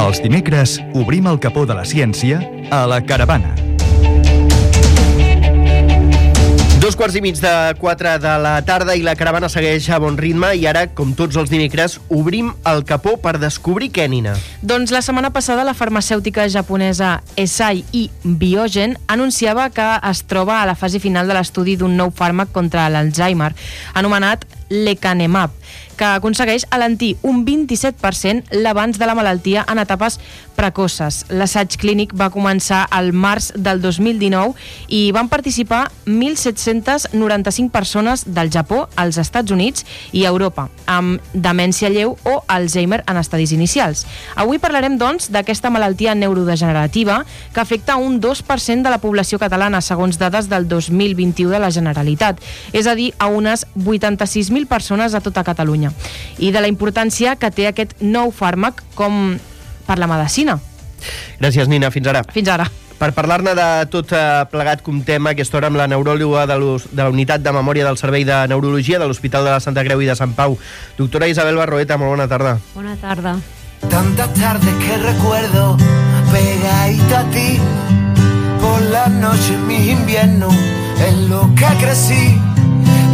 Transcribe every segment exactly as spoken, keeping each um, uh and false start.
Els dimecres obrim el capó de la ciència a La Caravana. Dos quarts i mig de quatre de la tarda i La Caravana segueix a bon ritme i ara, com tots els dimecres, obrim el capó per descobrir què, Nina? Doncs la setmana passada la farmacèutica japonesa Eisai i Biogen anunciava que es troba a la fase final de l'estudi d'un nou fàrmac contra l'Alzheimer, anomenat lecanemab, que aconsegueix alentir un vint-i-set per cent l'avanç de la malaltia en etapes precoces. L'assaig clínic va començar al març del dos mil dinou i van participar mil set-cents noranta-cinc persones del Japó, als Estats Units i Europa, amb demència lleu o Alzheimer en estadis inicials. Avui parlarem, doncs, d'aquesta malaltia neurodegenerativa que afecta un dos per cent de la població catalana, segons dades del dos mil vint-i-u de la Generalitat, és a dir, a unes vuitanta-sis mil persones a tota Catalunya, i de la importància que té aquest nou fàrmac com per la medicina. Gràcies, Nina. Fins ara. Fins ara. Per parlar-ne de tot plegat, comptem a aquesta hora amb la neuròloga de, de la Unitat de Memòria del Servei de Neurologia de l'Hospital de la Santa Creu i de Sant Pau, doctora Isabel Barroeta. Molt bona tarda. Bona tarda. Tantas tardes que recuerdo pegadito a ti, por las noches mis inviernos en lo que crecí,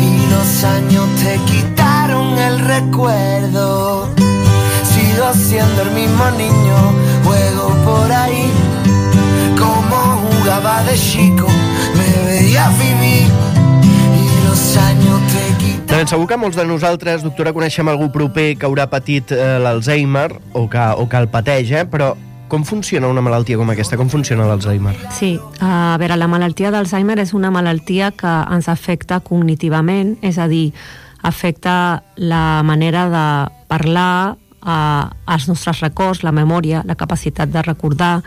y los años te quitaron el recuerdo. Sigo siendo el mismo niño, juego por ahí, como jugaba de chico, me veía vivir, y los años te quitaron. Ben, segur que molts de nosaltres, doctora, coneixem algú proper que haurà patit eh, l'Alzheimer o que, o que el pateix, eh? Però com funciona una malaltia com aquesta? Com funciona l'Alzheimer? Sí, a veure, la malaltia d'Alzheimer és una malaltia que ens afecta cognitivament, és a dir, afecta la manera de parlar, eh, els nostres records, la memòria, la capacitat de recordar,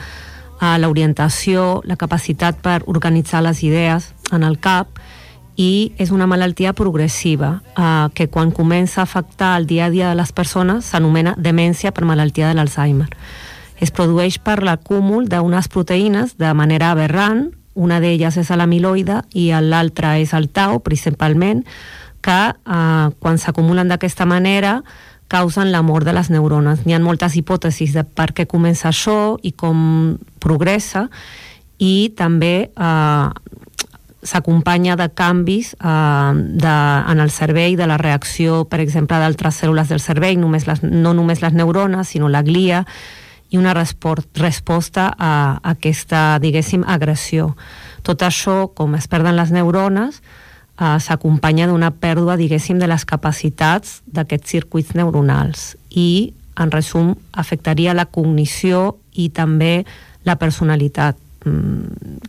eh, l'orientació, la capacitat per organitzar les idees en el cap, i és una malaltia progressiva eh, que quan comença a afectar el dia a dia de les persones s'anomena demència per malaltia de l'Alzheimer. Es produeix per l'acúmul d'unes proteïnes de manera aberrant, una d'elles és l'amiloide i l'altra és el tau, principalment, que eh, quan s'acumulen d'aquesta manera causen la mort de les neurones. N'hi ha moltes hipòtesis de per què comença això i com progressa, i també eh, s'acompanya de canvis eh, de, en el cervell, de la reacció, per exemple, d'altres cèl·lules del cervell, només les, no només les neurones, sinó la glia, i una resposta a aquesta, diguéssim, agressió. Tot això, com es perden les neurones, eh, s'acompanya d'una pèrdua, diguéssim, de les capacitats d'aquests circuits neuronals i, en resum, afectaria la cognició i també la personalitat,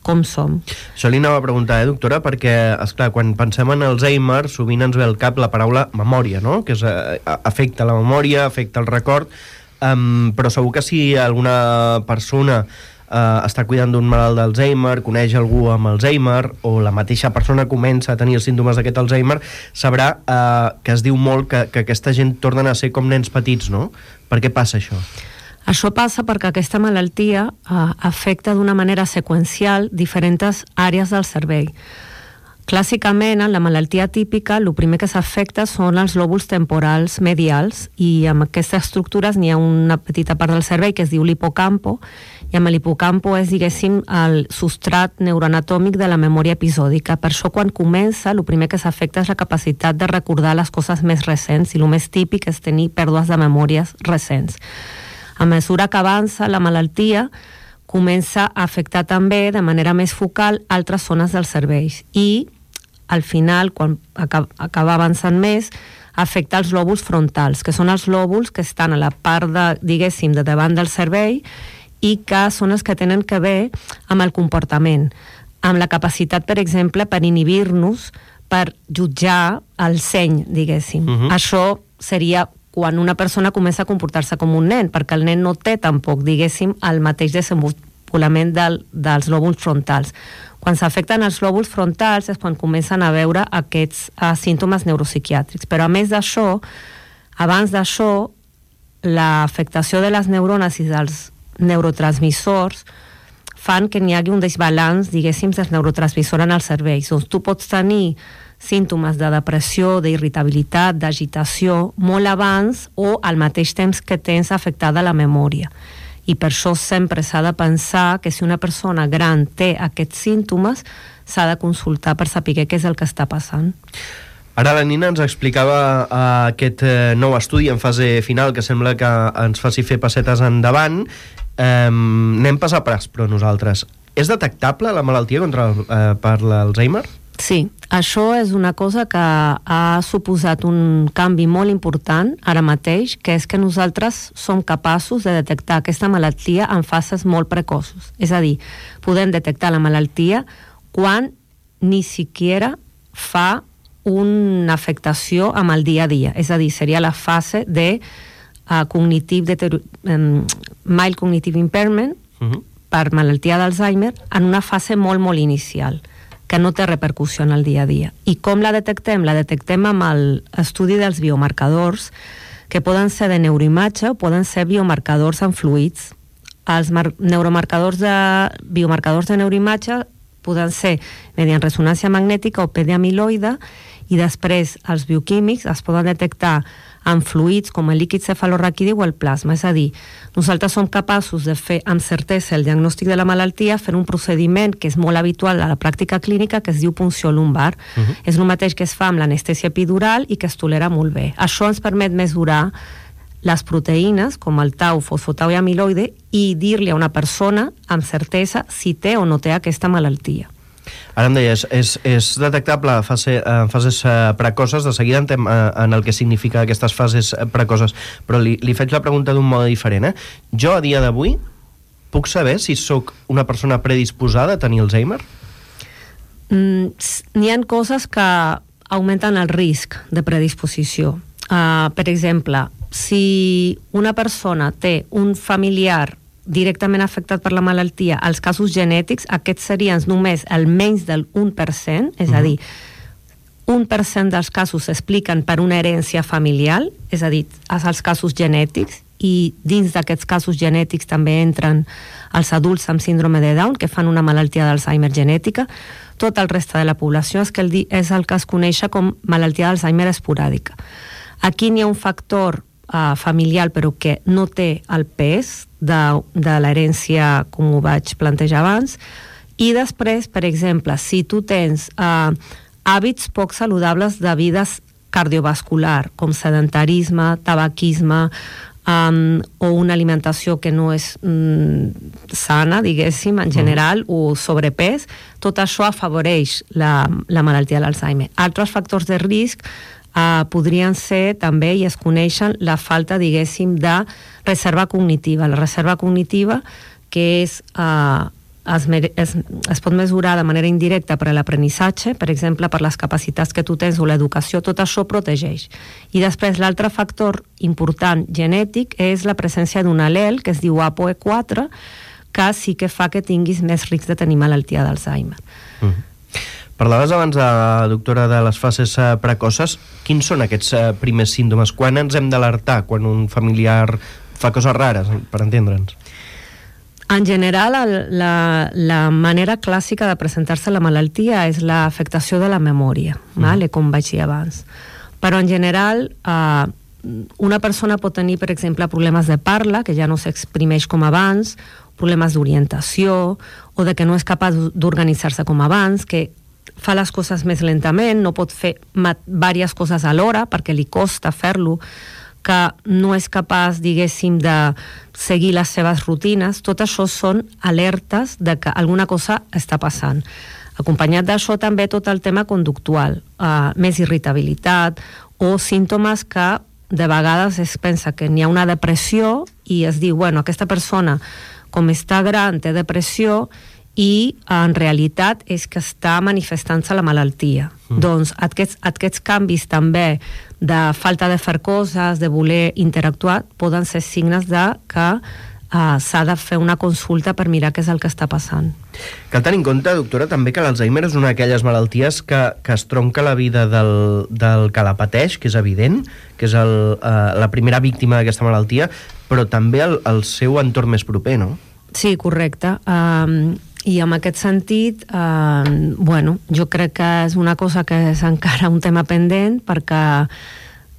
com som. Això li anava a preguntar, eh, doctora, perquè, esclar, quan pensem en Alzheimer, sovint ens ve al cap la paraula memòria, no? Que és, eh, afecta la memòria, afecta el record, um, però segur que si alguna persona eh, està cuidant d'un malalt d'Alzheimer, coneix algú amb Alzheimer, o la mateixa persona comença a tenir els símptomes d'aquest Alzheimer, sabrà eh, que es diu molt que, que aquesta gent tornen a ser com nens petits, no? Per què passa això? Això passa perquè aquesta malaltia eh, afecta d'una manera seqüencial diferents àrees del cervell. Clàssicament, en la malaltia típica, el primer que s'afecta són els lòbuls temporals medials, i amb aquestes estructures n'hi ha una petita part del cervell que es diu l'hipocampo, i amb l'hipocampo és, diguéssim, el substrat neuroanatòmic de la memòria episòdica. Per això, quan comença, el primer que s'afecta és la capacitat de recordar les coses més recents, i el més típic és tenir pèrdues de memòries recents. A mesura que avança la malaltia, comença a afectar també de manera més focal altres zones del cervell, i al final, quan acaba avançant més, afecta els lòbuls frontals, que són els lòbuls que estan a la part de, diguéssim, de davant del cervell, i que són els que tenen que ver amb el comportament, amb la capacitat, per exemple, per inhibir-nos, per jutjar el seny, diguéssim. Uh-huh. Això seria quan una persona comença a comportar-se com un nen, perquè el nen no té tampoc, diguéssim, el mateix desenvolupament del, dels lòbuls frontals. Quan s'afecten els lòbuls frontals és quan comencen a veure aquests uh, símptomes neuropsiquiàtrics. Però a més d'això, abans d'això, l'afectació de les neurones i dels neurotransmissors fan que n'hi hagi un desbalanç, diguéssim, dels neurotransmissors en el cervell. Doncs tu pots tenir símptomes de depressió, d'irritabilitat, d'agitació, molt abans o al mateix temps que tens afectada la memòria. I per això sempre s'ha de pensar que si una persona gran té aquests símptomes, s'ha de consultar per saber què és el que està passant. Ara la Nina ens explicava uh, aquest uh, nou estudi en fase final que sembla que ens faci fer passetes endavant. Um, anem pas a pas, però nosaltres. És detectable la malaltia contra el, uh, per l'Alzheimer? Sí, això és una cosa que ha suposat un canvi molt important ara mateix, que és que nosaltres som capaços de detectar aquesta malaltia en fases molt precoços. És a dir, podem detectar la malaltia quan ni siquiera fa una afectació amb el dia a dia. És a dir, seria la fase de uh, cognitive deterior... um, mild cognitive impairment uh-huh. per malaltia d'Alzheimer en una fase molt, molt inicial, que no té repercussió en el dia a dia. I com la detectem? La detectem amb l'estudi dels biomarcadors, que poden ser de neuroimatge o poden ser biomarcadors en fluids. Els neuromarcadors de, biomarcadors de neuroimatge poden ser mediant ressonància magnètica o P de amiloide, i després els bioquímics es poden detectar en fluids com el líquid cefalorraquidi o el plasma. És a dir, nosaltres som capaços de fer amb certesa el diagnòstic de la malaltia fent un procediment que és molt habitual a la pràctica clínica, que es diu punció lumbar. Uh-huh. És el mateix que es fa amb l'anestèsia epidural i que es tolera molt bé. Això ens permet mesurar les proteïnes, com el tau, fosfotau i amiloide, i dir-li a una persona amb certesa si té o no té aquesta malaltia. Ara em deies, és, és detectable en fase, en fases precoces. De seguida entrem en el que significa aquestes fases precoces, però li, li faig la pregunta d'un mode diferent. Eh? Jo, a dia d'avui, puc saber si sóc una persona predisposada a tenir Alzheimer? Mm, n'hi ha coses que augmenten el risc de predisposició. Uh, per exemple, si una persona té un familiar directament afectat per la malaltia, els casos genètics, aquests serien només el menys del un per cent, és uh-huh. a dir, un per cent dels casos s'expliquen per una herència familiar, és a dir, els casos genètics, i dins d'aquests casos genètics també entren els adults amb síndrome de Down, que fan una malaltia d'Alzheimer genètica. Tot el reste de la població és, que el, és el que es coneix com malaltia d'Alzheimer esporàdica. Aquí n'hi ha un factor Uh, familiar, però que no té el pes de, de l'herència, com ho vaig plantejar abans. I després, per exemple, si tu tens uh, hàbits poc saludables de vides cardiovascular, com sedentarisme, tabaquisme, um, o una alimentació que no és um, sana, diguéssim, en general, mm. o sobrepès, tot això afavoreix la, la malaltia de l'Alzheimer. Altres factors de risc Uh, podrien ser també, i es coneixen, la falta, diguéssim, de reserva cognitiva. La reserva cognitiva, que és, uh, es, es, es pot mesurar de manera indirecta per a l'aprenissatge, per exemple, per les capacitats que tu tens o l'educació, tot això protegeix. I després l'altre factor important genètic és la presència d'un al·lel, que es diu A P O E quatre, que sí que fa que tinguis més risc de tenir malaltia d'Alzheimer. Mm. Parlaves abans, de, doctora, de les fases precoces. Quins són aquests primers símptomes? Quan ens hem d'alertar? Quan un familiar fa coses rares, per entendre'ns? En general, la, la manera clàssica de presentar-se la malaltia és l'afectació de la memòria, mm. vale? Com vaig dir abans. Però en general, eh, una persona pot tenir, per exemple, problemes de parla, que ja no s'exprimeix com abans, problemes d'orientació, o de que no és capaç d'organitzar-se com abans, que fa les coses més lentament, no pot fer diverses coses alhora perquè li costa fer-lo, que no és capaç, diguéssim, de seguir les seves rutines. Tot això són alertes de que alguna cosa està passant. Acompanyat d'això també tot el tema conductual, eh, més irritabilitat o símptomes que de vegades es pensa que n'hi ha una depressió i es diu, bueno, aquesta persona com està gran té depressió, i en realitat és que està manifestant-se la malaltia. Mm. Doncs aquests, aquests canvis també de falta de fer coses, de voler interactuar, poden ser signes de que uh, s'ha de fer una consulta per mirar què és el que està passant. Cal tenir en compte, doctora, també que l'Alzheimer és una d'aquelles malalties que, que es tronca la vida del, del que la pateix, que és evident, que és el, uh, la primera víctima d'aquesta malaltia, però també el, el seu entorn més proper, no? Sí, correcte. Um, I en aquest sentit, eh, bueno, jo crec que és una cosa que és encara un tema pendent perquè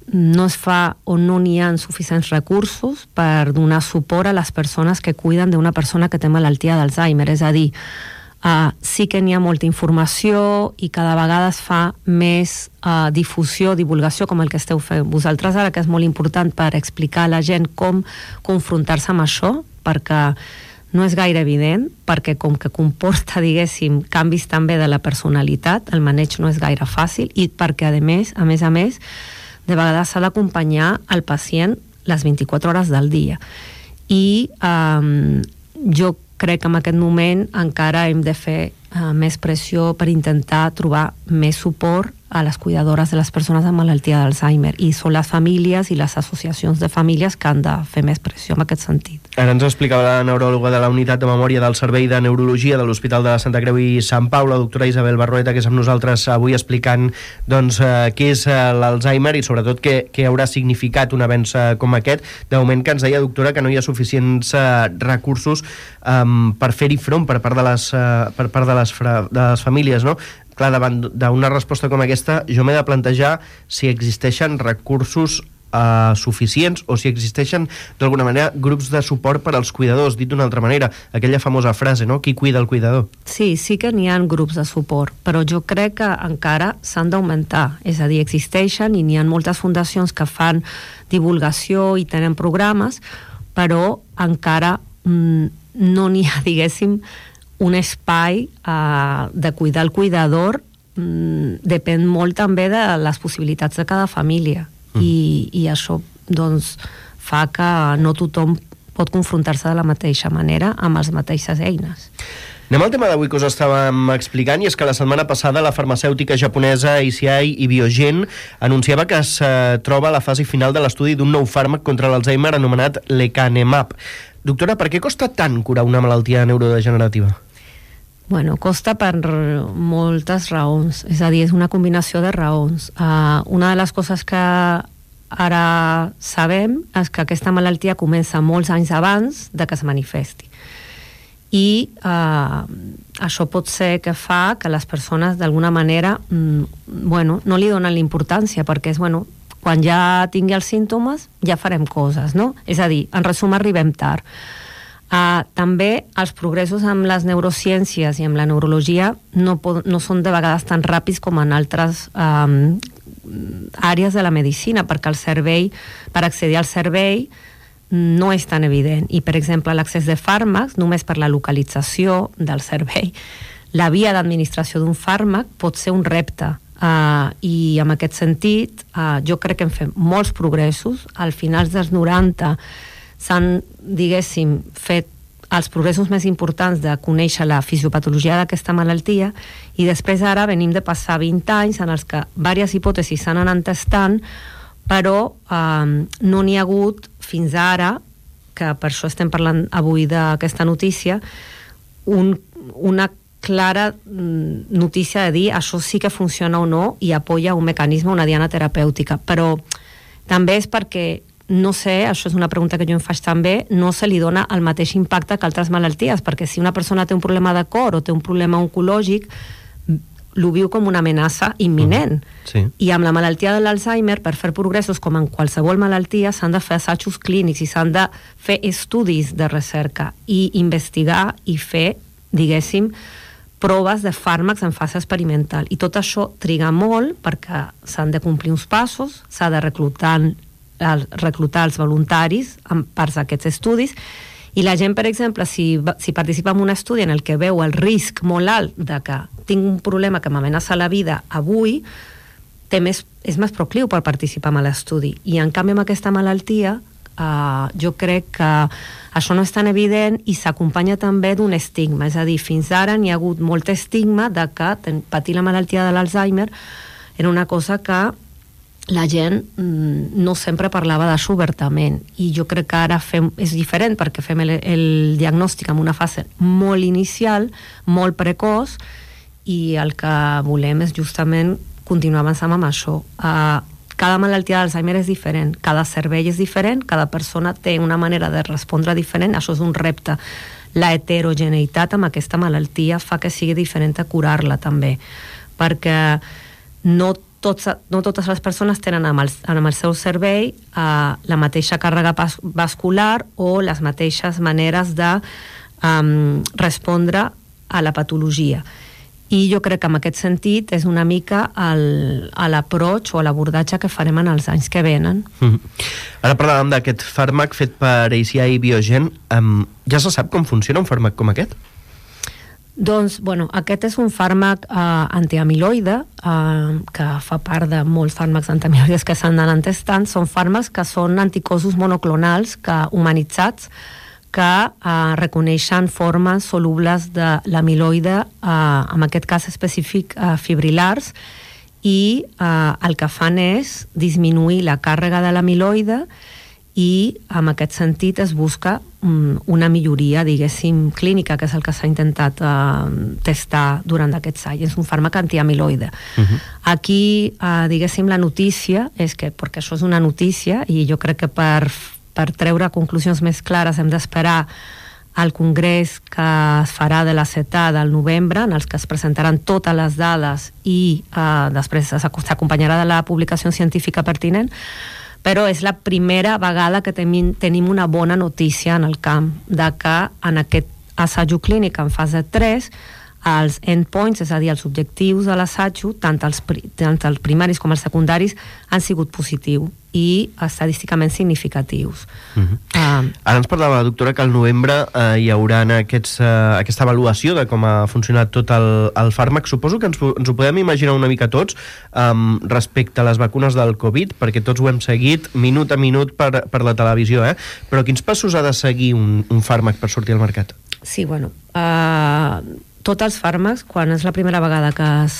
no es fa o no n'hi ha suficients recursos per donar suport a les persones que cuiden d'una persona que té malaltia d'Alzheimer. És a dir, Uh, sí que n'hi ha molta informació i cada vegada es fa més uh, difusió, divulgació, com el que esteu fent vosaltres ara, que és molt important per explicar a la gent com confrontar-se amb això, perquè no és gaire evident, perquè com que comporta, diguéssim, canvis també de la personalitat, el maneig no és gaire fàcil, i perquè, a més, a més a més, de vegades s'ha d'acompanyar el pacient les vint-i-quatre hores del dia. I um, jo crec que en aquest moment encara hem de fer uh, més pressió per intentar trobar més suport a les cuidadores de les persones amb malaltia d'Alzheimer, i són les famílies i les associacions de famílies que han de fer més pressió en aquest sentit. Ara ens explicava la neuròloga de la Unitat de Memòria del Servei de Neurologia de l'Hospital de la Santa Creu i Sant Pau, la doctora Isabel Barrueta, que és amb nosaltres avui explicant doncs, eh, què és eh, l'Alzheimer i sobretot què, què haurà significat un avenç eh, com aquest. De moment que ens deia, doctora, que no hi ha suficients eh, recursos eh, per fer-hi front per part de les, eh, per part de les, fra, de les famílies, no? Clar, davant d'una resposta com aquesta, jo m'he de plantejar si existeixen recursos eh, suficients o si existeixen, d'alguna manera, grups de suport per als cuidadors. Dit d'una altra manera, aquella famosa frase, no? Qui cuida el cuidador? Sí, sí que n'hi ha grups de suport, però jo crec que encara s'han d'augmentar. És a dir, existeixen i n'hi ha moltes fundacions que fan divulgació i tenen programes, però encara mm, no n'hi ha, diguéssim, un espai uh, de cuidar el cuidador. mm, depèn molt també de les possibilitats de cada família, mm. I, i això doncs fa que no tothom pot confrontar-se de la mateixa manera amb les mateixes eines. Anem al tema d'avui que us estàvem explicant, i és que la setmana passada la farmacèutica japonesa I C I i Biogen anunciava que es uh, troba a la fase final de l'estudi d'un nou fàrmac contra l'Alzheimer anomenat lecanemab. Doctora, per què costa tant curar una malaltia neurodegenerativa? Bueno, costa per moltes raons, és a dir, és una combinació de raons. Uh, una de les coses que ara sabem és que aquesta malaltia comença molts anys abans de que es manifesti. I uh, això pot ser que fa que les persones d'alguna manera mm, bueno, no li donen l'importància, perquè és, bueno, quan ja tingui els símptomes ja farem coses, no? És a dir, en resum, arribem tard. Uh, també els progressos amb les neurociències i amb la neurologia no, pod- no són de vegades tan ràpids com en altres um, àrees de la medicina, perquè el cervell, per accedir al cervell no és tan evident, i per exemple l'accés de fàrmacs només per la localització del cervell, la via d'administració d'un fàrmac pot ser un repte, uh, i en aquest sentit uh, jo crec que hem fet molts progressos. Al finals dels noranta s'han, diguéssim, fet els progressos més importants de conèixer la fisiopatologia d'aquesta malaltia, i després ara venim de passar vint anys en els que diverses hipòtesis s'han anat testant, però eh, no n'hi ha hagut fins ara, que per això estem parlant avui d'aquesta notícia, un, una clara notícia de dir això sí que funciona o no i apoya un mecanisme, una diana terapèutica. Però també és perquè no sé, això és una pregunta que jo em faig també, no se li dona el mateix impacte que altres malalties, perquè si una persona té un problema de cor o té un problema oncològic, l'ho viu com una amenaça imminent. Uh-huh. Sí. I amb la malaltia de l'Alzheimer, per fer progressos com en qualsevol malaltia, s'han de fer assajos clínics i s'han de fer estudis de recerca i investigar i fer, diguéssim, proves de fàrmacs en fase experimental. I tot això triga molt perquè s'han de complir uns passos, s'ha de reclutar reclutar els voluntaris en parts d'aquests estudis, i la gent, per exemple, si, si participa en un estudi en el que veu el risc molt alt de que tinc un problema que m'amenaça la vida avui, té més, és més procliu per participar en l'estudi. I en canvi amb aquesta malaltia eh, jo crec que això no és tan evident i s'acompanya també d'un estigma, és a dir, fins ara n'hi ha hagut molt estigma de que ten, patir la malaltia de l'Alzheimer era una cosa que la gent mm, no sempre parlava d'això obertament, i jo crec que ara fem, és diferent perquè fem el, el diagnòstic en una fase molt inicial, molt precoç, i el que volem és justament continuar avançant amb això. Uh, cada malaltia d'Alzheimer és diferent, cada cervell és diferent, cada persona té una manera de respondre diferent, això és un repte. la heterogeneïtat amb aquesta malaltia fa que sigui diferent a curar-la també, perquè no, tots, no totes les persones tenen amb el, amb el seu cervell uh, la mateixa càrrega vascular o les mateixes maneres de um, respondre a la patologia. I jo crec que en aquest sentit és una mica el, l'approach o l'abordatge que farem en els anys que venen. Mm-hmm. Ara parlàvem d'aquest fàrmac fet per A C I Biogen. Um, ja se sap com funciona un fàrmac com aquest? Doncs, bueno, aquest és un fàrmac eh, antiamiloide, eh, que fa part de molts fàrmacs antiamiloides que s'han anat testant. Són fàrmacs que són anticossos monoclonals que, humanitzats, que eh, reconeixen formes solubles de l'amiloide, eh, en aquest cas específic eh, fibrilars, i eh, el que fan és disminuir la càrrega de l'amiloide i en aquest sentit es busca um, una milloria, diguéssim, clínica, que és el que s'ha intentat eh, testar durant aquests anys. És un fàrmac antiamiloide. Uh-huh. Aquí, eh, diguéssim, la notícia és que, perquè això és una notícia, i jo crec que per per treure conclusions més clares hem d'esperar al congrés que es farà de la CETA del novembre, en els que es presentaran totes les dades i eh, després s'acompanyarà de la publicació científica pertinent, però és la primera vegada que tenim, tenim una bona notícia en el camp de que en aquest assaig clínic en fase tres els endpoints, és a dir, els objectius de l'assaig, tant els, tant els primaris com els secundaris, han sigut positius i estadísticament significatius. Uh-huh. Uh, Ara ens parlava la doctora que al novembre eh, hi haurà aquests, eh, aquesta avaluació de com ha funcionat tot el, el fàrmac. Suposo que ens, ens ho podem imaginar una mica tots um, respecte a les vacunes del Covid, perquè tots ho hem seguit minut a minut per, per la televisió, eh? Però quins passos ha de seguir un, un fàrmac per sortir al mercat? Sí, bueno... Uh, tots els fàrmacs, quan és la primera vegada que es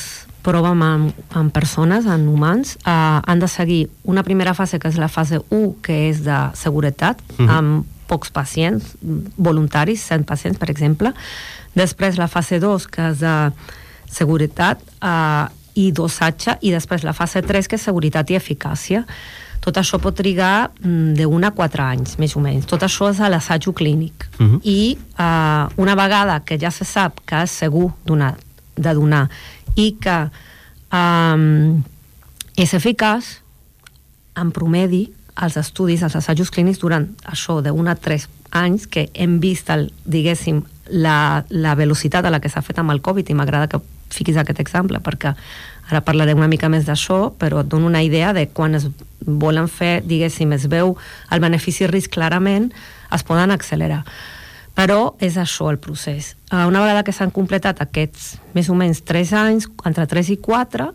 proven en, en persones, en humans, eh, han de seguir una primera fase, que és la fase u, que és de seguretat, uh-huh. amb pocs pacients, voluntaris, cent pacients, per exemple. Després la fase dos, que és de seguretat eh, i dosatge, i després la fase tres, que és seguretat i eficàcia. Tot això pot trigar d'un a quatre anys, més o menys. Tot això és a l'assaig clínic. Uh-huh. I uh, una vegada que ja se sap que és segur donar, de donar i que um, és eficaç, en promedi, els estudis, els assajos clínics durant això d'un a tres anys, que hem vist, el, diguéssim, la, la velocitat a la que s'ha fet amb el Covid, i m'agrada que fiquis aquest exemple, perquè ara parlaré una mica més d'això, però et dono una idea de quan es volen fer, diguéssim, es veu el benefici-risc clarament, es poden accelerar. Però és això el procés. Una vegada que s'han completat aquests més o menys tres anys, entre tres i quatre,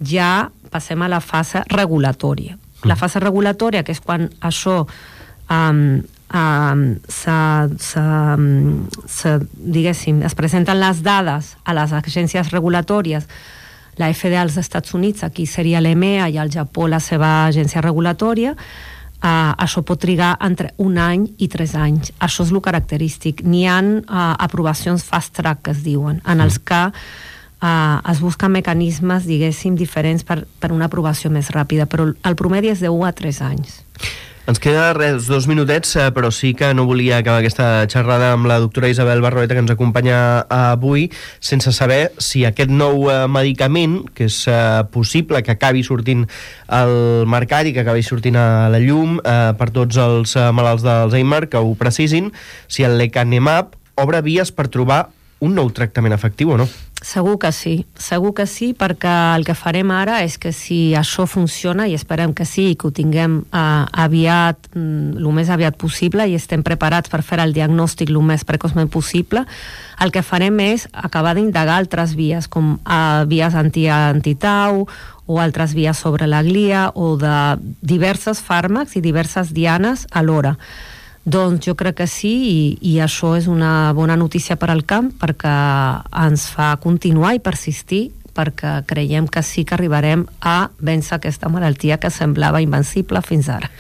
ja passem a la fase regulatòria. La fase regulatòria, que és quan això um, um, se, se, se, diguéssim, es presenten les dades a les agències regulatòries, la F D A als Estats Units, aquí seria l'E M E A, i al Japó la seva agència regulatòria, uh, això pot trigar entre un any i tres anys. Això és el característic. N'hi ha uh, aprovacions fast track, que es diuen, en els que uh, es busquen mecanismes, diguéssim, diferents per, per una aprovació més ràpida, però el promedi és de un a tres anys. Ens queda res, dos minutets, però sí que no volia acabar aquesta xerrada amb la doctora Isabel Barroeta, que ens acompanya avui, sense saber si aquest nou medicament, que és possible que acabi sortint al mercat i que acabi sortint a la llum eh, per tots els malalts d'Alzheimer, que ho precisin, si el lecanemab obre vies per trobar un nou tractament efectiu o no? Segur que sí, segur que sí, perquè el que farem ara és que si això funciona, i esperem que sí, i que ho tinguem eh, aviat, el més aviat possible, i estem preparats per fer el diagnòstic el més precoçment possible, el que farem és acabar d'indagar altres vies, com eh, vies anti, anti-tau, o altres vies sobre la glia, o de diversos fàrmacs i diverses dianes alhora. Doncs jo crec que sí, i, i això és una bona notícia per al camp, perquè ens fa continuar i persistir, perquè creiem que sí que arribarem a vèncer aquesta malaltia que semblava invencible fins ara.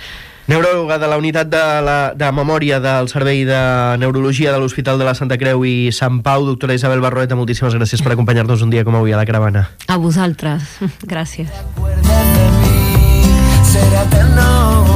Neuròloga de la unitat de, la, de memòria del Servei de Neurologia de l'Hospital de la Santa Creu i Sant Pau, doctora Isabel Barroeta, moltíssimes gràcies per acompanyar-nos un dia com avui a la Caravana. A vosaltres, gràcies. Será eterno.